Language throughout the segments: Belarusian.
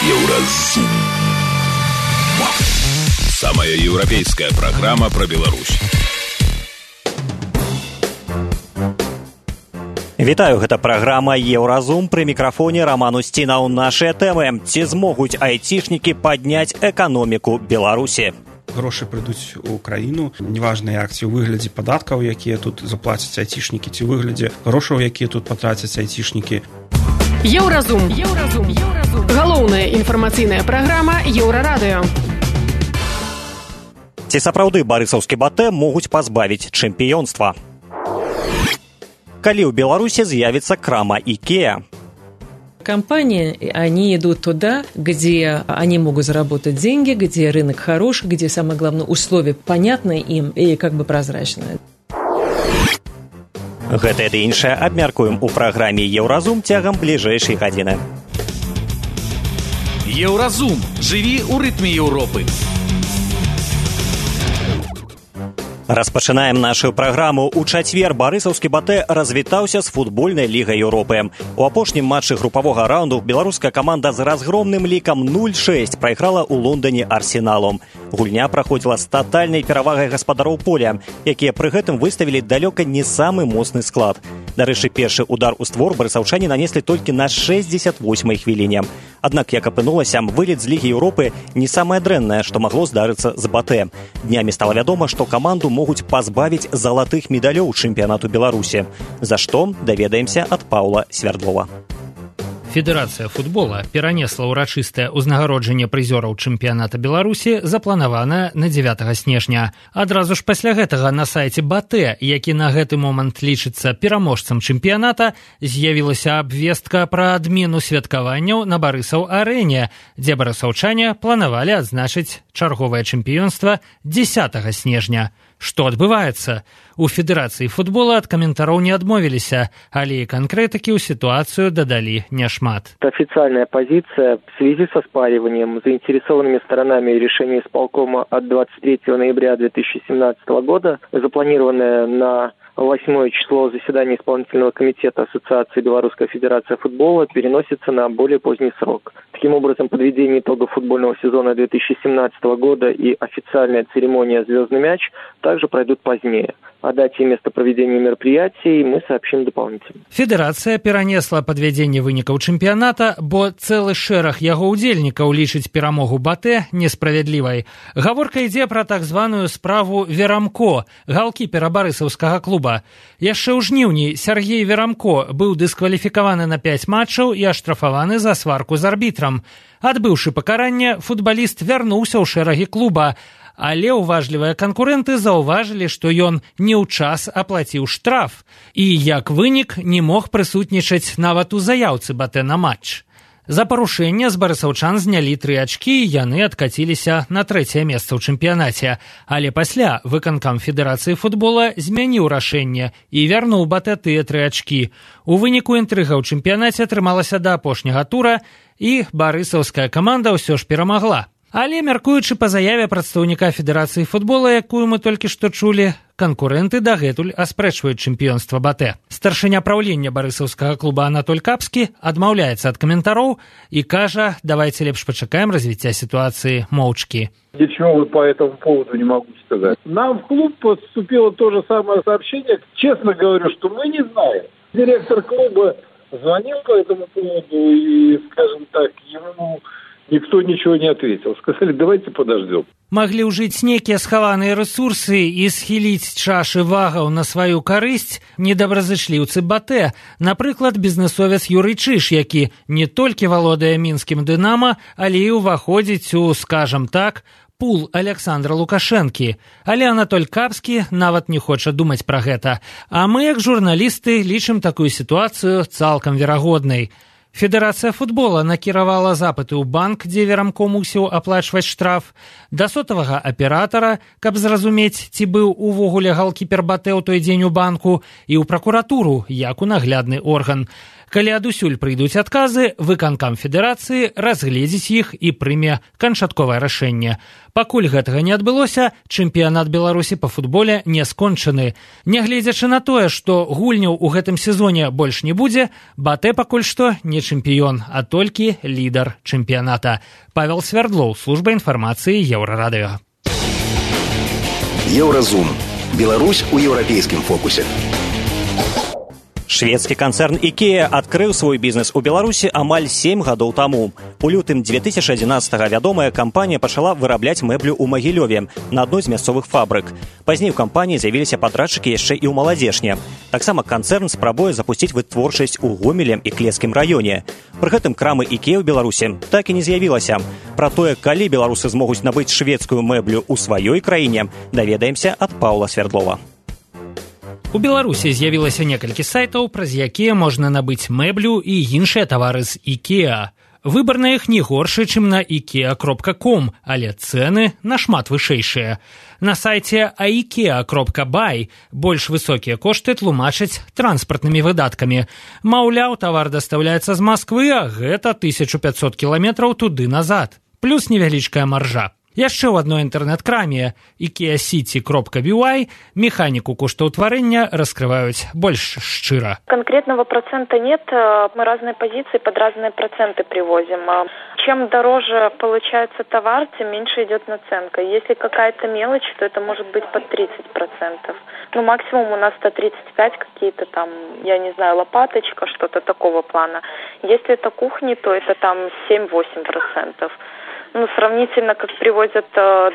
Еўразум. Самая европейская программа про Беларусь. Вітаю, гэта праграма «Еўразум», пры мікрафоне Роман Устінаў. Нашыя тэмы. Ці змогуць айцішнікі падняць эканоміку Беларусі? Грошы прыйдуць у краіну, неважна як, ці ў выглядзе падаткаў, якія тут заплацяць айцішнікі, ці ў выглядзе грошаў, якія тут патрацяць айцішнікі. Еўразум. Галоўная інфармацыйная праграма Еўрарадыё. Ці сапраўды барысаўскі батэ могуць пазбавіць чэмпіёнства? Калі ў Беларуси з'явится крама IKEA? Компании, они идут туда, где они могут заработать деньги, где рынок хороший, где, самое главное, условия понятны им и как бы прозрачны. Гэта і іншае абмяркуем у праграме «Еўразум» цягам бліжэйшай гадзіны. Еўразум. Жыві ў рытме Еўропы. Распачынаем нашу праграму. У чацвер барысаўскі батэ развітаўся з футбольнай лігай Еўропы. У апошнім матчы групавога раунду беларуская каманда з разгромным лікам 0-6 прайграла ў Лондоне Арсеналу. Гульня праходзіла з татальнай перавагай гаспадароў поля, якія пры гэтым выставілі далёка не самы моцны склад. Дарэчы, першы удар у створ барысаўчане нанеслі толькі на 68-й хвіліне. Аднак, як апынулася, вылет з Лігі Еўропы не самае дрэннае, што магло здарыцца з батэ. Днямі стала вядома, што каманду могуць пазбавіць залатых медалёў чэмпіянату Беларусі. За што, даведаемся ад Паўла Свярдлова. Федэрацыя футбола перанесла ўрачыстае ўзнагароджанне прызёраў чэмпіяната Беларусі, запланаванае на 9 снежня. Адразу ж пасля гэтага на сайце батэ, які на гэты момант лічыцца пераможцам чэмпіяната, з'явілася абвестка пра адмену святкаванняў на Барысаў-арэне, дзе барысаўчане планавалі адзначыць чарговае чэмпіёнства 10 снежня. Што адбываецца? У Федэрацыі футбола ад каментараў не адмовіліся, але і канкрэтыкі ў ситуацию дадалі няшмат. Официальная позиция в связи со спариванием заинтересованными сторонами решения исполкома от 23 ноября 2017 года, запланированная на 8 число заседания исполнительного комитета Ассоциации Белорусской Федерации футбола, переносится на более поздний срок. Таким образом, подведение итогов футбольного сезона 2017 года и официальная церемония «Звездный мяч» также пройдут позднее. О дате и место проведения мероприятий мы сообщим дополнительно. Федэрацыя перанесла падвядзенне вынікаў чэмпіяната, бо цэлы шэраг яго ўдзельнікаў лічыць перамогу батэ несправядлівай. Гаворка ідзе пра так званую справу Верамко, галкіпера барысаўскага клуба. Яшчэ ў жніўні Сергей Верамко быў дыскваліфікаваны на 5 матчаў і аштрафаваны за сварку з арбітрам. Адбыўшы пакаранне, футбаліст вярнуўся ў шэрагі клуба, але уважлівыя канкурэнты заўважылі, што ён не ў час аплаціў штраф і, як вынік, не мог прысутнічаць нават у заяўцы батэ на матч. За парушэнне з барысаўчан знялі 3 ачкі і яны адкаціліся на 3-е месца ў чэмпіянаце. Але пасля выканкам Федэрацыі футбола змяніў рашэнне і вярнуў батэ тыя 3 ачкі. У выніку інтрыга ў чэмпіянаце атрымалася да апошняга тура і барысаўская каманда ўсё ж перамагла. Але, мяркуючы па заяве прадстаўніка Федэрацыі футбола, якую мы толькі што чулі, канкурэнты дагэтуль аспрэчваюць чэмпіёнства батэ. Старшыня праўлення барысаўскага клуба Анатоль Капскі адмаўляецца ад каментароў і кажа, давайте лепш пачакаем развіцця ситуации моўчкі. Ничего вот по этому поводу не могу сказать. Нам в клуб поступило то же самое сообщение. Честно говорю, что мы не знаем. Директор клуба звонил по этому поводу и, скажем так, ему никто ничего не ответил. Сказали, давайте подождем. Маглі ўжыць нейкія схаваныя рэсурсы і схіліць чашы вагаў на сваю карысць недобразычліўцы батэ. Напрыклад, бізнесовец Юрый Чыш, які не толькі валодае мінскім «Дынама», але і ўваходзіць у, скажам так, пул Александра Лукашэнкі. Але Анатоль Капскі нават не хоча думаць пра гэта. А мы, як журналісты, лічым такую сітуацыю цалкам верагоднай. Федэрацыя футбола накіравала запыты ў банк, дзе Верамко мусіў аплачваць штраф, да сотавага аператара, каб зразумець, ці быў увогуле галкіпер батэ ў той дзень у банку, і ў пракуратуру, як у наглядны орган. Калі адусюль прыйдуць адказы, выканкам федэрацыі разгледзіць іх і прыме канчатковае рашэнне. Пакуль гэтага не адбылося, чэмпіянат Беларусі па футболе не скончаны. Нягледзячы на тое, што гульняў у гэтым сезоне больш не будзе, БАТЭ пакуль што не чэмпіён, а толькі лідар чэмпіяната. Павел Свердлоў, служба інфармацыі Еўрарадыё. Еўразум. Беларусь у еўрапейскім фокусе. Шведскі канцэрн IKEA адкрыў свой бізнес у Беларусі амаль 7 гадоў таму. У лютым 2011-го вядомая кампанія пачала вырабляць мэблю ў Магілёве на адной з мясцовых фабрык. Пазней у кампаніі з'явіліся падрадчыкі яшчэ і ў Маладзешне. Таксама канцэрн спрабуе запусціць вытворчасць у Гомеле і Клецкім раёне. Пры гэтым крамы IKEA ў Беларусі так і не з'явілася. Пра тое, калі беларусы змогуць набыць шведскую мэблю ў сваёй краіне, даведаемся ад Паўла Свердлова. У Беларусі з'явілася некалькі сайтаў, праз якія можна набыць мэблю і іншыя тавары з IKEA. Выбар на іх не горшы, чым на ikea.com, але цэны нашмат вышэйшыя. На сайце ikea.by больш высокія кошты тлумачаць транспартнымі выдаткамі. Маўляў, тавар дастаўляецца з Масквы, а гэта 1500 кіламетраў туды-назад. Плюс невялічкая маржа. Яшчэ ў адной інтэрнэт-краме ikeacity.by механіку коштаўтварэння раскрываюць больш шчыра. Конкретного процента нет, мы разные позиции под разные проценты привозим. Чем дороже получается товар, тем меньше идет наценка. Если какая-то мелочь, то это может быть под 30%. Ну, максимум у нас 135 какие-то там, я не знаю, лопаточка, что-то такого плана. Если это кухни, то это там 7-8%. Ну, сравнительно, как привозят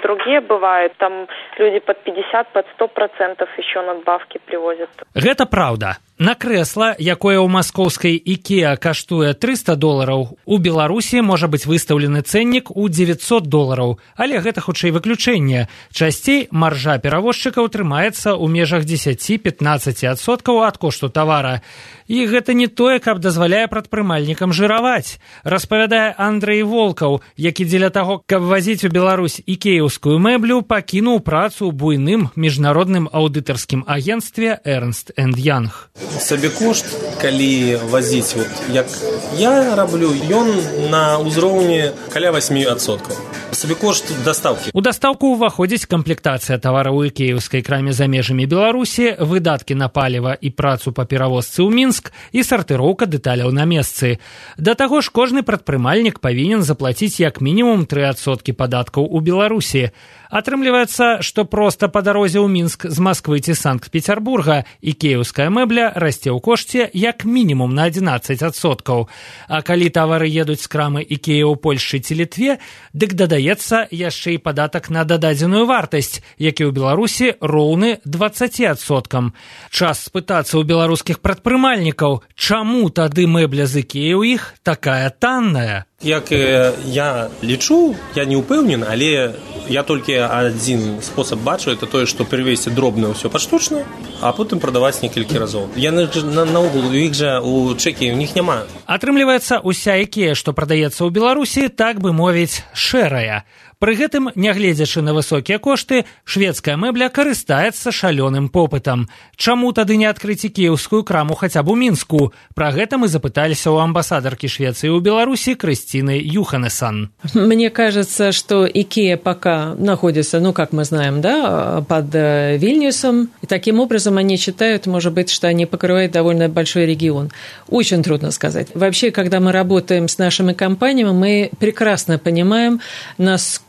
другие, бывает, там люди под 50, под 100% еще надбавки привозят. Гэта праўда. На крэсла, якое ў маскоўскай IKEA каштуе $300, у Беларусі можа быць выстаўлены цэннік у $900, але гэта хутчэй выключэнне. Часцей маржа перавозчыкаў трымаецца ў межах 10-15% ад кошту тавара. І гэта не тое, каб дазваляе прадпрымальнікам жыраваць, распавядае Андрэй Волкаў, які дзеля таго, каб вазіць у Беларусь ікеаўскую мэблю, пакінуў працу ў буйным міжнародным аўдытарскім агенцтве Ernst & Young. Сабекошт, калі вазіць, вот, як я раблю, ён на ўзроўні каля 8%. Сабекошт дастаўкі. У дастаўку ўваходзіць камплектацыя тавара ў ікеаўскай краме за межамі Беларусі, выдаткі на паліва і працу па перавозцы ў Мінск і сартыроўка дэталяў на месцы. Да таго ж кожны прадпрымальнік павінен заплаціць як мінімум 3% падаткаў у Беларусі. Атрымліваецца, што проста па дарозе ў Мінск з Масквы ці Санкт-Петербурга ікеаўская мэбля расце ў кошце як мінімум на 11%. А калі тавары едуць з крамы IKEA ў Польшчы ці Літве, дык дадаецца яшчэ і падатак на дададзеную вартасць, які ў Беларусі роўны 20%. Час спытацца ў беларускіх прадпрымальнікаў, чаму тады мэбля з IKEA ў іх такая танная? Як я лічу, я не ўпэўнен, але я толькі адзін спосаб бачу, это тое, што перавесці дробна ўсё паштучна, а потым прадаваць некалькі разоў. Яны ж наогул, у іх жа у чэкі, у них няма. Атрымліваецца, уся IKEA, што прадаецца ў Беларусі, так бы мовіць, шэрая. Пры гэтым, нягледзячы на высокія кошты, шведская мэбля карыстаецца шалёным попытам. Чаму тады не адкрыць ікеаўскую краму хаця б у Мінску? Пра гэта мы запыталіся у амбассадаркі Швеции у Беларуси Кристины Юханесон. Мне кажется, что IKEA пока находится, ну, как мы знаем, да, под Вильнюсом. И таким образом они считают, может быть, что они покрывают довольно большой регион. Очень трудно сказать. Вообще, когда мы работаем с нашими компаниями, мы прекрасно понимаем, насколько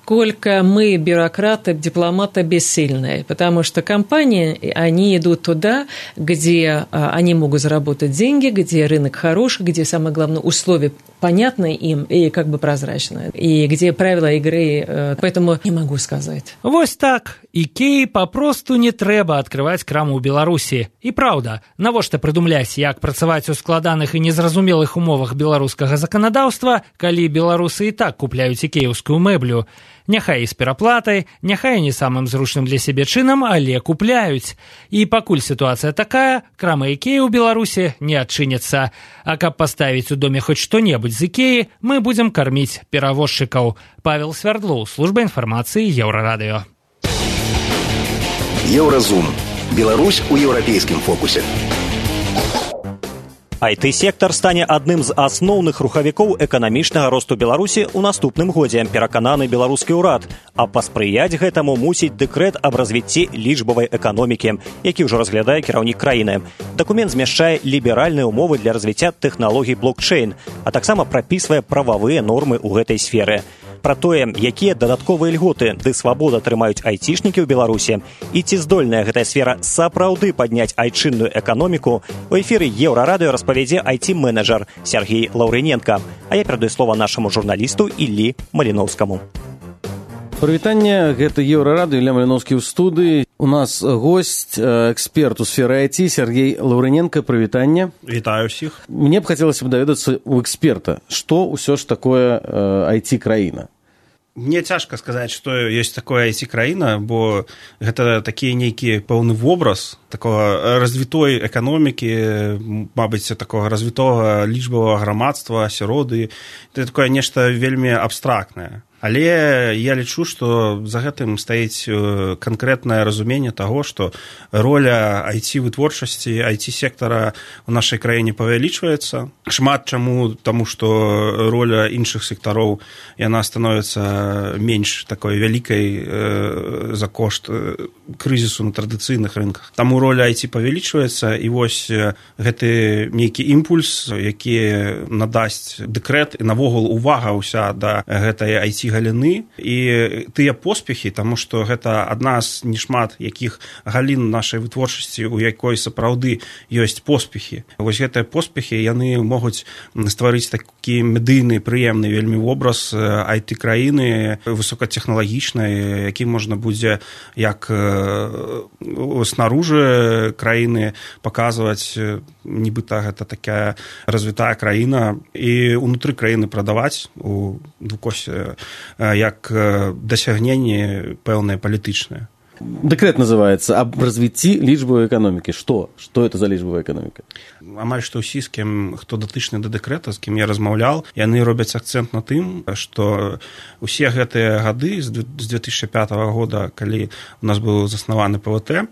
мы, бюрократы, дипломаты, бессильные. Потому что компании, они идут туда, где они могут заработать деньги, где рынок хороший, где, самое главное, условия понятны им и как бы прозрачны, и где правила игры, поэтому не могу сказать. Вось так. IKEA папросту не трэба адкрываць краму ў Беларусі. І праўда, навошта прыдумляць, як працаваць у складаных і незразумелых умовах беларускага заканадаўства, калі беларусы і так купляюць ікеаўскую мэблю. Няхай і з пераплатай, няхай не самым зручным для сябе чынам, але купляюць. І пакуль сітуацыя такая, крама IKEA ў Беларусі не адчыняцца. А каб паставіць у доме хоць што-небудзь з IKEA, мы будзем карміць перавозчыкаў. Павел Свердлоў, служба інфармацыі Еўрарадыё. Еўразум. Беларусь у еўрапейскім фокусе. IT-сектар стане адным з асноўных рухавікоў эканамічнага росту Беларусі ў наступным годзе, перакананы беларускі ўрад. А паспрыяць гэтаму мусіць дэкрэт аб развіцці лічбавай эканомікі, які ўжо разглядае кіраўнік краіны. Дакумент змяшчае ліберальныя ўмовы для развіцця тэхналогій блокчейн, а таксама прапісвае прававыя нормы ў гэтай сферы. Пра тое, якія дадатковыя льготы ды свабода атрымаюць айцішнікі ў Беларусі і ці здольная гэтая сфера сапраўды падняць айчынную эканоміку, у эфіры Еўрарадыё распавядзе айці-менеджер Сергей Лаўрыненко. А я перадаю слова нашаму журналісту Іллі Маліноўскаму. Прывітанне, гэта Еўрарадыё, Ілля Маліноўскі ў студыі. У нас гость, эксперт у сферы IT Сергей Лаўрыненко. Прывітанне. Вітаю ўсіх. Мне б хацелася б даведацца у эксперта, што ўсё ж такое IT-краіна? Мне цяжка сказаць, што ёсць такое IT-краіна, бо гэта такі нейкі пэўны вобраз такога развітой эканомікі, мабыць, такога развітога лічбавага грамадства, асяроды. Гэта такое нешта вельмі абстрактнае. Але я лічу, што за гэтым стаіць канкрэтнае разуменне таго, што роля IT-вытворчасці, IT-сектара ў нашай краіне павялічваецца. Шмат чаму, таму што роля іншых сектароў, яна становіцца менш такой вялікай за кошт крызісу на традыцыйных рынках. Таму роля IT павялічваецца, і вось гэты нейкі імпульс, які надасць дэкрэт, і навогул увага ўся да гэтай IT галіны і тыя поспехі, таму што гэта адна з нешмат якіх галін нашай вытворчасці, у якой сапраўды ёсць поспехі. Вось гэтыя поспехі, яны могуць стварыць такі медыйны, прыемны вельмі вобраз IT-краіны высокатэхналагічнай, які можна будзе як снаружы краіны паказваць, нібыта гэта такая развітая краіна, і ўнутры краіны прадаваць у двукосе як дасягненне пэўнае палітычнае. Дэкрэт называецца аб развіцці лічбавай эканомікі. Што это за лічбавая эканоміка? Амаль што ўсі, з кім, хто датычны да дэкрэта, з кім я размаўляў, яны робяць акцэнт на тым, што ўсе гэтыя гады з 2005 года, калі у нас быў заснаваны ПВТ,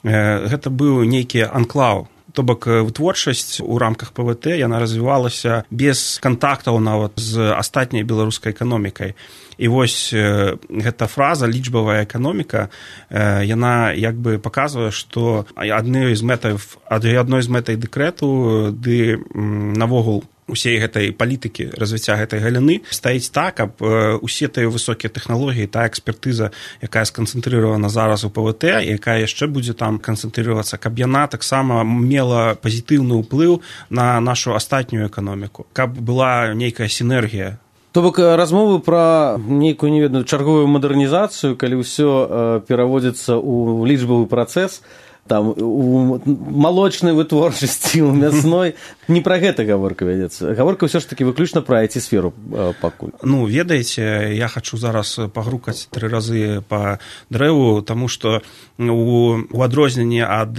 гэта быў нейкі анклаў. То бок вытворчасць у рамках ПВТ, яна развівалася без кантактаў нават з астатняй беларускай эканомікай. І вось гэта фраза лічбавая эканоміка, яна як бы паказвае, што адной з мэтай дэкрэту ды навогул усей гэтай палітыкі развіцця гэтай галіны стаіць так, каб усе тыя высокія тэхналогіі, тая экспертыза, якая сканцэнтрыравана зараз у ПВТ, якая яшчэ будзе там канцэнтрыравацца, каб яна таксама мела пазітыўны ўплыў на нашу астатнюю эканоміку, каб была нейкая сінергія. То бок размовы пра нейкую неведную чарговую мадэрнізацыю, калі ўсё пераводзіцца ў лічбавы працэс, там у малочнай вытворчасці, у мясной, не пра гэта гаворка вядзецца. Гаворка ўсё ж такі выключна пра IT-сферу пакуль. Ну, ведаеце, я хачу зараз пагрукаць 3 разы па дрэву, таму што у адрозненні ад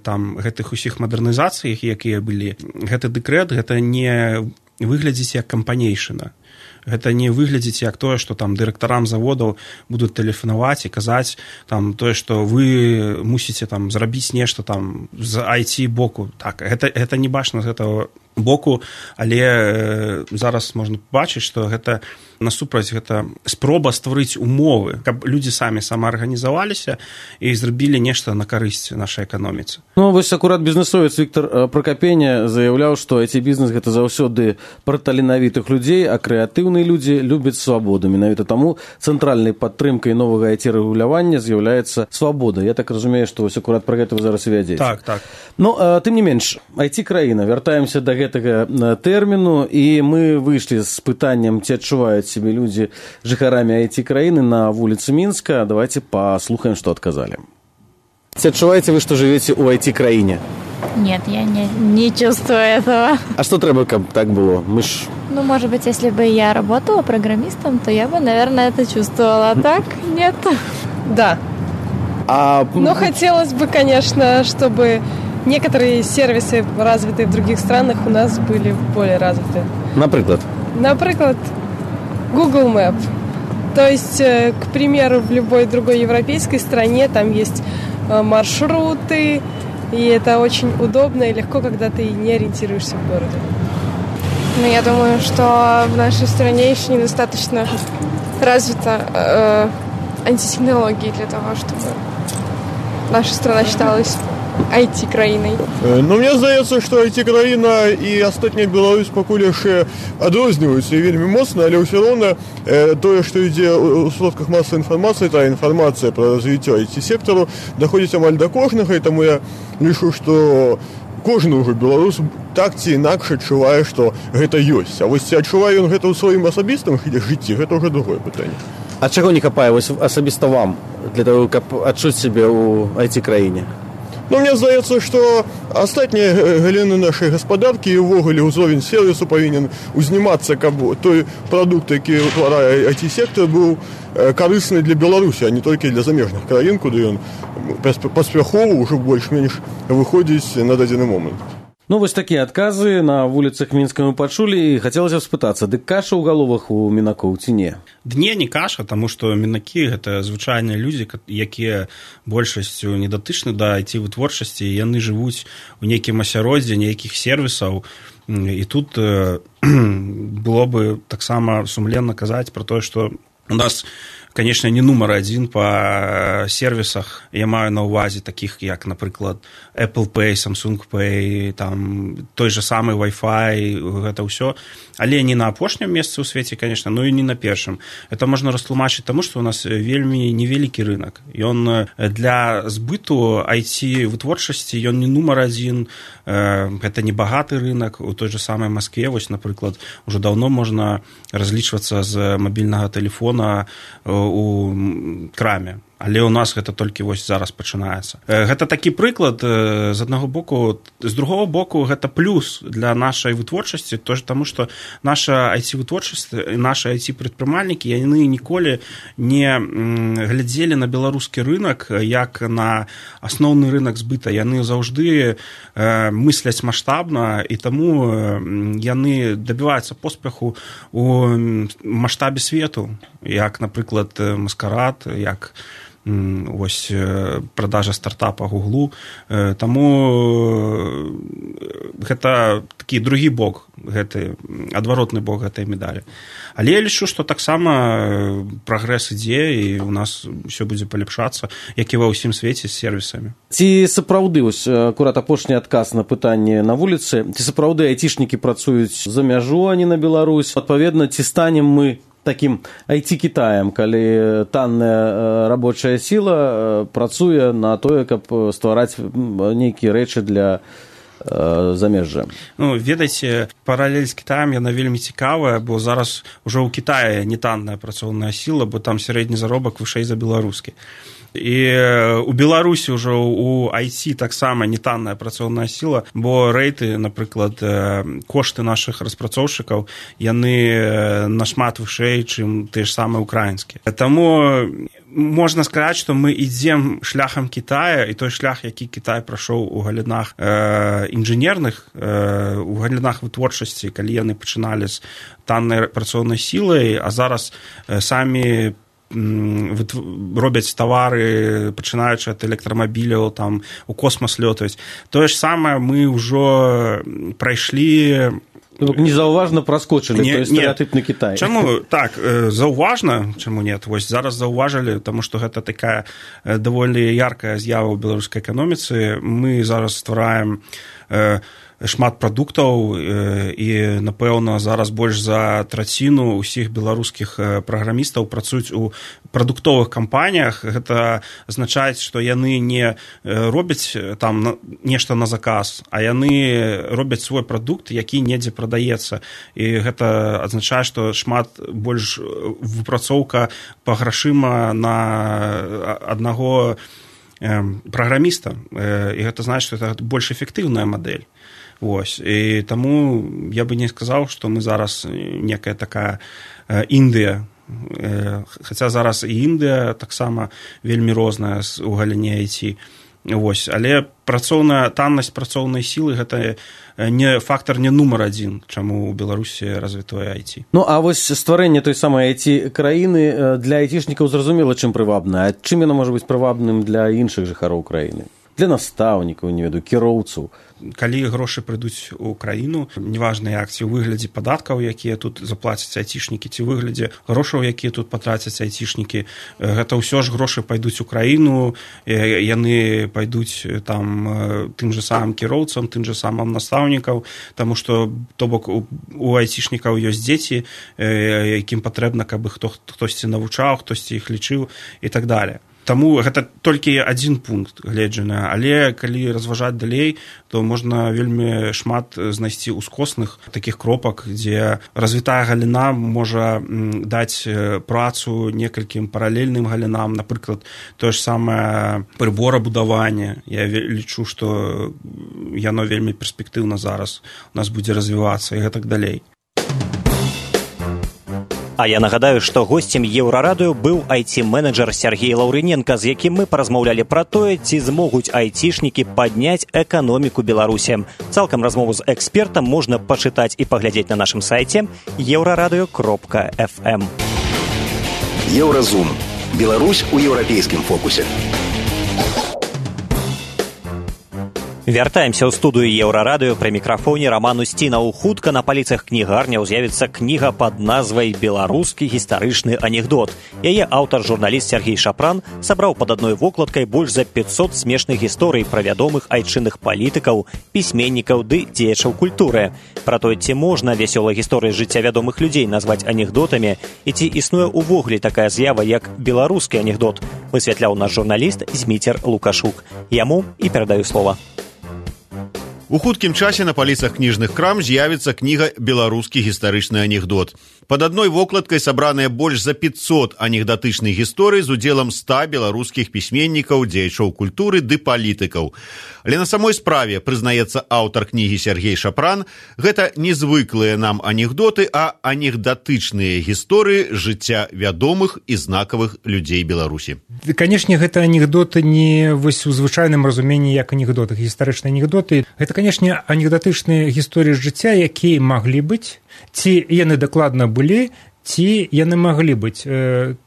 там гэтых усіх мадэрнізацый, якія былі, гэты дэкрэт, гэта не выглядзіць як кампанейшына. Гэта не выглядзіць як тое, што там дырэктарам заводаў будуць тэлефанаваць і казаць там тое, што вы мусіце там зрабіць нешта там з IT боку. Так, гэта не бачна з гэтага боку, але зараз можна побачыць, што гэта насупраць гэта спроба стварыць умовы, каб людзі самаарганізаваліся і зрабілі нешта на карысць нашай эканоміцы. Ну, вось акурат бізнесовец Віктор Пракапеня заяўляў, што IT-бізнес гэта заўсёды пра таленавітых людзей, а крэатыўныя людзі любяць свабоду. Менавіта таму цэнтральнай падтрымкай новага IT-рэгулявання з'яўляецца свабода. Я так разумею, што вось акурат пра гэта вы зараз і вядзеце. Так. Ну, тым не менш, IT-краіна, вяртаемся да гэтага тэрміну, і мы выйшлі з пытаннем, ці адчуваюць себе людзі жыхарамі IT-краіны на вуліцы Мінска. Давайте послухаем, что отказали. Отчуваете вы, что живете у IT-краине? Нет, я не чувствую этого. А что треба, как так было? Ну, может быть, если бы я работала программистом, то я бы, наверное, это чувствовала. А так нет. Да. Но хотелось бы, конечно, чтобы некоторые сервисы, развитые в других странах, у нас были более развиты. Например, Google Map. То есть, к примеру, в любой другой европейской стране там есть маршруты, И это очень удобно и легко, когда ты не ориентируешься в городе. Ну, я думаю, что в нашей стране еще недостаточно развита антитехнологии для того, чтобы наша страна считалась IT-країною. Ну, мені здається, що IT-країна і остання Білорусь пакуль яшчэ адрозніваюцца і вельмі моцна, але ўсё роўна тое, што ідзе ў сродках масавай інфармацыі, тая інфармацыя пра развіццё IT-сектару даходзіць амаль да кожнага, і таму я лічу, што кожны ўжо беларус так ці інакш адчувае, што гэта ёсць. А вось ці адчувае ён гэта ў сваім асабістым жыцці, гэта ўжо другое пытанне. А чаго не хапае вось асабіста вам для того, каб адчуць сябе ў IT-краіне? Ну, мне здаецца, што астатнія галіны нашай гаспадаркі і ўвогуле ўзровень сервісу павінен узнімацца, каб той прадукт, які ўтварае IT-сектор, быў карысны для Беларусі, а не толькі для замежных краін, куды ён паспяхова ўжо больш-менш выходзіць на дадзены момант. Ну, вось такія адказы на вуліцах Мінска мы пачулі, і хацелася б спытацца, дык каша ў галовах у мінакоў ці не? Не каша, таму што мінакі гэта звычайныя людзі, якія большасцю не датычны да IT-вытворчасці, яны жывуць у нейкім асяроддзі, нейкіх сервісаў, і тут было бы таксама сумленна казаць пра тое, што у нас, конечно, не нумар адзін па сервісах. Я маю на ўвазе такіх, як, напрыклад, Apple Pay, Samsung Pay, там, той же самы Wi-Fi, гэта ўсё. Але не на апошнім месцы ў свеце, конечно, но і не на першым. Это можна растлумачыць таму, што у нас вельмі невялікі рынок. Ён для збыту IT-вытворчасці, ён не нумар адзін, гэта не багаты рынок. У той же самай Маскве, вось, напрыклад, ужо даўно можна разлічвацца з мабільнага тэлефона у краме. Але ў нас гэта толькі вось зараз пачынаецца. Гэта такі прыклад з аднаго боку. З другого боку, гэта плюс для нашай вытворчасці, таму што наша IT-вытворчасць, нашы IT-прадпрымальнікі, яны ніколі не глядзелі на беларускі рынак як на асноўны рынак збыта. Яны заўжды мысляць маштабна, і таму яны дабіваюцца поспеху у маштабе свету, як, напрыклад, Маскарад, як ось продажа стартапа Гуглу. Таму гэта такі другі бок, гэты адваротны бок гэтай медалі. Але я лічу, што таксама прагрэс ідзе, і у нас ўсё будзе палепшацца, як і ва ўсім свеце з сервісамі. Ці сапраўды, ось акурат апошні адказ на пытанне на вуліцы, ці сапраўды айцішнікі працуюць за мяжу, а не на Беларусь? Адпаведна, ці станем мы таким IT-Китаем, калі танная рабочая сила працуе на тое, каб ствараць нейкія рэчы для замежжа. Ну, ведаеце, паралель з Кітаем яна вельмі цікавая, бо зараз ужо ў Кітаі не танная працоўная сіла, бо там сярэдні заробак вышэй за беларускі. І у Беларусі ўжо у IT таксама не танная працоўная сіла, бо рэйты, напрыклад, кошты нашых распрацоўшчыкаў, яны нашмат вышэй, чым тыя ж самыя украінскія. Таму можна сказаць, што мы ідзем шляхам Кітая, і той шлях, які Кітай прайшоў у галінах інжынерных, у галінах вытворчасці, калі яны пачыналі з таннай працоўнай сілай, а зараз самі робяць тавары, пачынаючы ад электрамабіляў, там у космас лётаюць. Тое ж самае мы ўжо прайшлі. Незаўважна праскочылі той стэрэатыпны Кітай. Чаму? Так, заўважна, чаму нет? Вось зараз заўважылі, таму што гэта такая даволі яркая з'ява ў беларускай эканоміцы. Мы зараз ствараем шмат прадуктаў, і, напэўна, зараз больш за траціну ўсіх беларускіх праграмістаў працуюць у прадуктовых кампаніях. Гэта азначае, што яны не робяць там нешта на заказ, а яны робяць свой прадукт, які недзе прадаецца. І гэта азначае, што шмат больш выпрацоўка па грашыма на аднаго праграміста. І гэта значыць, што гэта больш эфектыўная мадэль. Вось. І таму я бы не сказаў, што мы зараз некая такая Індыя. Хаця зараз і Індыя таксама вельмі розная у галіне IT. Вось. Але таннасць працоўнай сілы гэта не фактар не нумар адзін, чаму ў Беларусі развітое IT. Ну, а вось стварэнне той самай IT-краіны для айцішнікаў зразумела, чым прывабна. А чым яно можа быць прывабным для іншых жыхароў краіны? для настаўнікаў, не ведаю, кіроўцаў. Калі грошы прыйдуць у краіну, неважна як, ці ў выглядзе падаткаў, якія тут заплацяць айцішнікі, ці ў выглядзе грошаў, якія тут патрацяць айцішнікі, гэта ўсё ж грошы пайдуць у краіну, яны пайдуць там тым же самым кіроўцам, тым же самым настаўнікаў, таму што, то бок, у айцішнікаў ёсць дзеці, якім патрэбна, каб іх хтосьці навучаў, хтосьці іх лічыў і так далее. Таму гэта толькі адзін пункт гледжання, але калі разважаць далей, то можна вельмі шмат знайсці ускосных такіх кропак, дзе развітая галіна можа даць працу некалькім паралельным галінам, напрыклад, тое ж самае прыборабудаванне. Я лічу, што яно вельмі перспектыўна зараз у нас будзе развівацца і гэтак далей. А я нагадаю, што госцем Еўрарадыё быў IT-менеджер Сергей Лаўрыненка, з якім мы паразмаўлялі пра тое, ці змогуць айцішнікі падняць эканоміку Беларусі. Цалкам размову з экспертам можна пачытаць і паглядзець на нашым сайце euradio.fm. Еўразум. Беларусь у еўрапейскім фокусе. Вяртаемся ў студыю Еўрарадыё, пры мікрафоне Роман Устінаў. Хутка на паліцах кнігарняў з'явіцца кніга пад назвай «Беларускі гістарычны анекдот». Яе аўтар, журналіст Сергей Шапран, сабраў пад адной вокладкай больш за 500 смешных гісторый пра вядомых айчынных палітыкаў, пісьменнікаў ды дзеячаў культуры. Пра тое, ці можна вясёлыя гісторыі з жыцця вядомых людзей назваць анекдотамі, і ці існуе ўвогуле такая з'ява, як беларускі анекдот, высвятляў наш журналіст Зміцер Лукашук. Яму і перадаю слова. У хуткім часе на паліцах кніжных крам з'явіцца кніга «Беларускі гістарычны анекдот». Пад адной вокладкай сабраныя больш за 500 анекдатычных гісторый з удзелам 100 беларускіх пісьменнікаў, дзеячоў культуры ды палітыкаў. Але на самой справе, прызнаецца аўтар кнігі Сергей Шапран, гэта не звыклыя нам анекдоты, а анекдатычныя гісторыі жыцця вядомых і знакавых людзей Беларусі. Канешне, гэта анекдоты не вось у звычайным разуменні як анекдоты, гістарычныя анекдоты. Гэта, канешне, анекдатычныя гісторыі жыцця, якія маглі быць, ці яны дакладна былі, ці яны маглі быць.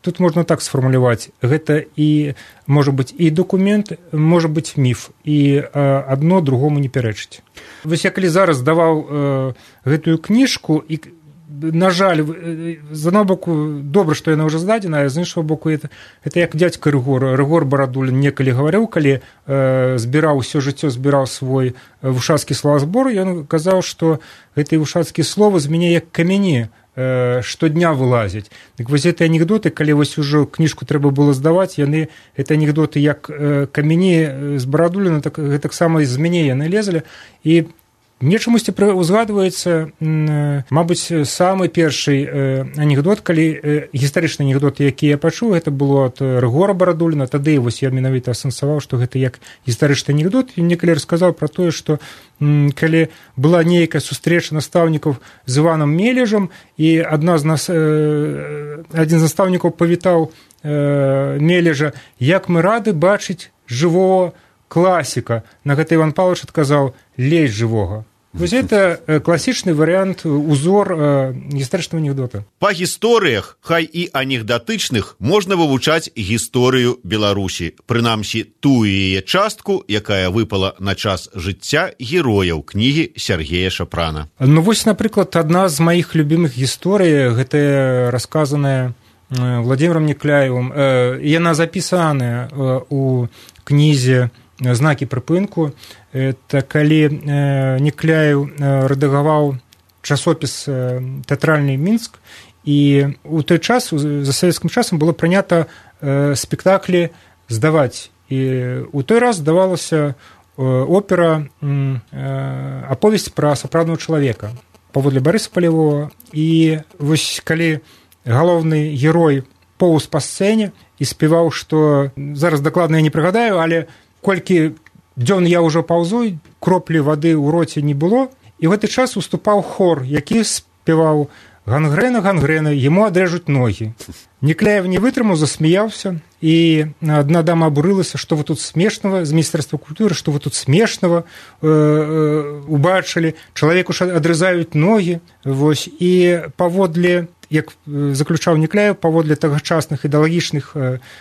Тут можна так сфармуляваць. Гэта і, можа быць, і дакумент, можа быць, міф. І адно другому не пярэчыць. Вось я калі зараз даваў гэтую кніжку, і, на жаль, з аднаго боку, добра, што яна ўжо здадзена, а з іншага боку, это як дзядзька Рыгор Барадулін некалі гаварыў, калі збіраў усё жыццё, збіраў свой вушацкі словазбор, ён казаў, што гэтыя вушацкія словы з мяне як камяні штодня вылазяць. Так вось гэтыя анекдоты, калі вось ужо кніжку трэба было здаваць, яны, гэта анекдоты як камяні з Барадуліна, так гэтаксама з мяне яны лезалі. І мне чамусьці узгадваецца, мабыць, самы першы анекдот, калі гістарычны анекдот, які я пачуў, гэта было ад Рыгора Барадуліна. Тады вось я менавіта асэнсаваў, што гэта як гістарычны анекдот. І мне калі расказаў пра тое, што калі была нейкая сустрэча настаўнікаў з Іванам Мележам, і адзін з настаўнікаў павітаў Мележа, як мы рады бачыць жывого класіка. На гэта Іван Павлович адказаў: лезь жывога. Вось это класічны варыянт, узор гістарычнага анекдота. Па гісторыях, хай і анекдатычных, можна вывучаць гісторыю Беларусі, прынамсі тую яе частку, якая выпала на час жыцця герояў кнігі Сергея Шапрана. Ну вось, напрыклад, адна з маіх любімых гісторый, гэта расказаная Владимиром Некляевым. Яна запісаная у кнізе «Знакі прыпынку». Это калі Некляев рэдагаваў часопіс «Тэатральны Мінск», і у той час, за савецкім часам, было прынята спектаклі здаваць. І у той раз здавалася опера «Аповесць пра сапраўднага чалавека» паводле Барыса Палявога. І вось калі галоўны герой поўз па сцэне і спяваў, што зараз дакладна я не прыгадаю, але колькі дзён я ўжо паўзу, кроплі вады ў роце не было, і ў гэты час уступаў хор, які спяваў «Гангрэна, гангрэна, яму адрежуць ногі». Некляев не вытрымаў, засмяяўся, і адна дама абурылася, што вы тут смешнага, з Міністэрства культуры, што вы тут смешнага убачылі, чалавеку ж адрызаюць ногі. Вось, і паводле як заключаў Некляев, паводле тагачасных ідэалагічных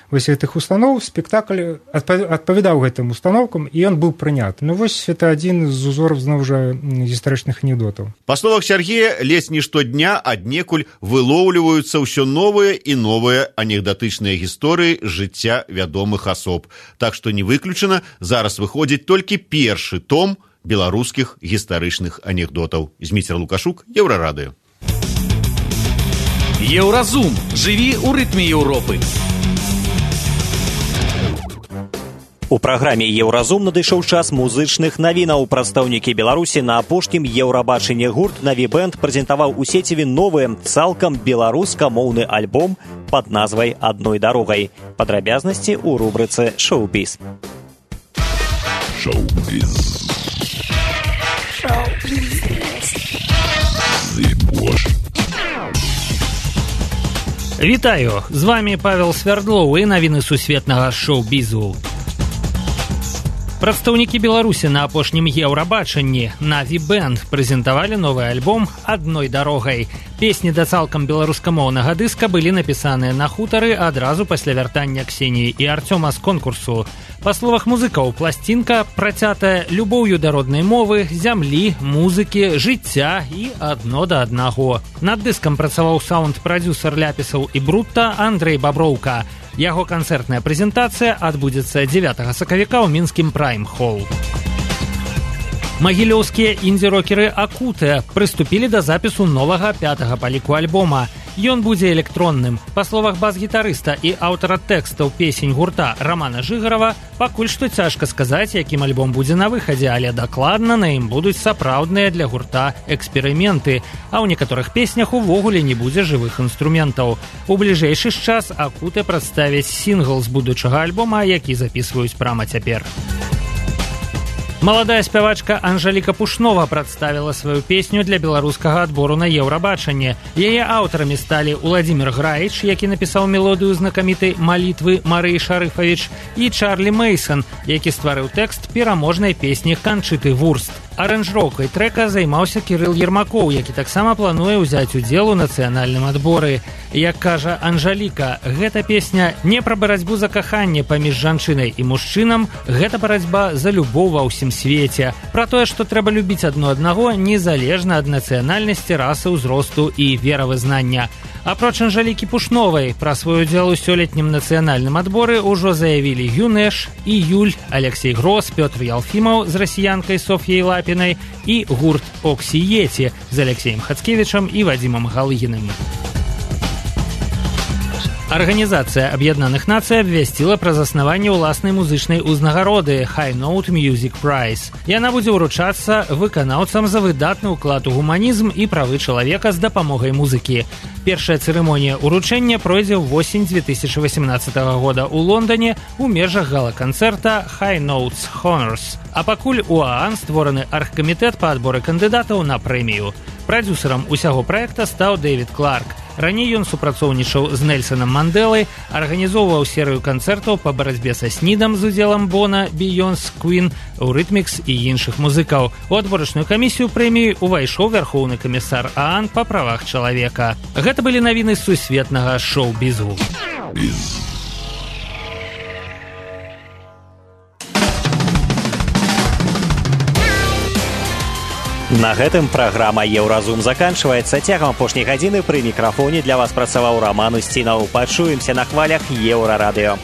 вось гэтых устаноў, спектакль адпавядаў гэтым установкам, і ён быў прыняты. Ну вось это адзін з узораў, зноў жа, гістарычных анекдотаў. Па словах Сергея, ледзь не штодня аднекуль вылоўліваюцца ўсё новыя і новыя анекдатычныя гісторыі жыцця вядомых асоб. Так што не выключана, зараз выходзіць толькі першы том беларускіх гістарычных анекдотаў. Зміцер Лукашук, Еўрарадыё. Еўразум. Жыві ў рытме Еўропы. У праграме «Еўразум» надышоў час музычных навінаў. Прадстаўнікі Беларусі на апошнім Еўрабачанні гурт «Наві Бэнд» прэзентаваў у сеціве новы, цалкам беларускамоўны альбом пад назвай «Адной дарогай». Падрабязнасці ў рубрыцы «Шоу-біз». Шоу-біз. Вітаю! З вами Павел Свярдлоў і навіны сусветнага шоу-бізу. Прадстаўнікі Беларусі на апошнім Еўрабачанні «Наві Бэнд» прэзентавалі новы альбом «Адной дарогай». Песні да цалкам беларускамоўнага дыска былі напісаныя на хутары адразу пасля вяртання Ксеніі і Арцёма з конкурсу. Па словах музыкаў, пласцінка працятая любоўю да роднай мовы, зямлі, музыкі, жыцця і адно да аднаго. Над дыскам працаваў саунд-прадзюсар ляпісаў і брутта Андрэй Баброўка. Яго канцэртная прэзентацыя адбудзецца 9 сакавіка ў мінскім Прайм-холл. Магілёўскія інді-рокеры «Акутэ» прыступілі да запісу новага 5-га па ліку альбома. Ён будзе электронным. Па словах бас-гітарыста і аўтара тэкстаў песень гурта Рамана Жыгарава, пакуль што цяжка сказаць, якім альбом будзе на выхадзе, але дакладна на ім будуць сапраўдныя для гурта эксперыменты, а ў некаторых песнях увогуле не будзе жывых інструментаў. У бліжэйшы час «Акутэ» прадставіць сінгл з будучага альбома, які запісваюць прама цяпер. Маладая спявачка Анжаліка Пушнова прадставіла сваю песню для беларускага адбору на Еўрабачанне. Яе аўтарамі сталі Уладзімір Граіч, які напісаў мелодыю знакамітай «Малітвы» Марыі Шарыфавіч, і Чарлі Мейсон, які стварыў тэкст пераможнай песні Канчыты Вурст. Аранжыроўкай трэка займаўся Кірыл Ермакоў, які таксама плануе ўзяць удзел у нацыянальным адборы. Як кажа Анжаліка, гэта песня не пра барацьбу за каханне паміж жанчынай і мужчынам, гэта барацьба за любоў ва ўсім свеце. Пра тое, што трэба любіць адно аднаго незалежна ад нацыянальнасці, расы, ўзросту і веравызнання. Апроч Анжалікі Пушновай, пра свой удзел у сёлетнім нацыянальным адборы ўжо заявілі Юнэш, і Юль, Алексей Грос, Пётр Ялфімаў з расіянкай Софьяй Лапінай і гурт «Оксіеці» з Алексеем Хацкевічам і Вадзімам Галыгіным. Арганізацыя Аб'яднаных Нацый абвясціла пра заснаванне ўласнай музычнай узнагароды High Note Music Prize. Яна будзе ўручацца выканаўцам за выдатны ўклад у гуманізм і правы чалавека з дапамогай музыкі. Першая цырымонія ўручэння пройдзе ўвосень 2018 года ў Лондане ў межах гала-канцэрта High Notes Honors. А пакуль у ААН створаны аргкамітэт па адборы кандыдатаў на прэмію. Прадзюсарам усяго праекта стаў Дэвід Кларк. Раней ён супрацоўнічаў з Нельсонам Мандэлай, арганізоўваў серыю канцэртаў па барацьбе са СНІДам з удзелам Бона, Бейонс, Квін, Eurythmics і іншых музыкаў. У адборачную камісію прэміі увайшоў вярхоўны камісар ААН па правах чалавека. Гэта былі навіны сусветнага шоу-бізу. На гэтым праграма «Еўразум» заканчваецца. Цягам апошняй гадзіны пры мікрафоне для вас працаваў Раман Устінаў. Пачуемся на хвалях Еўрарадыё.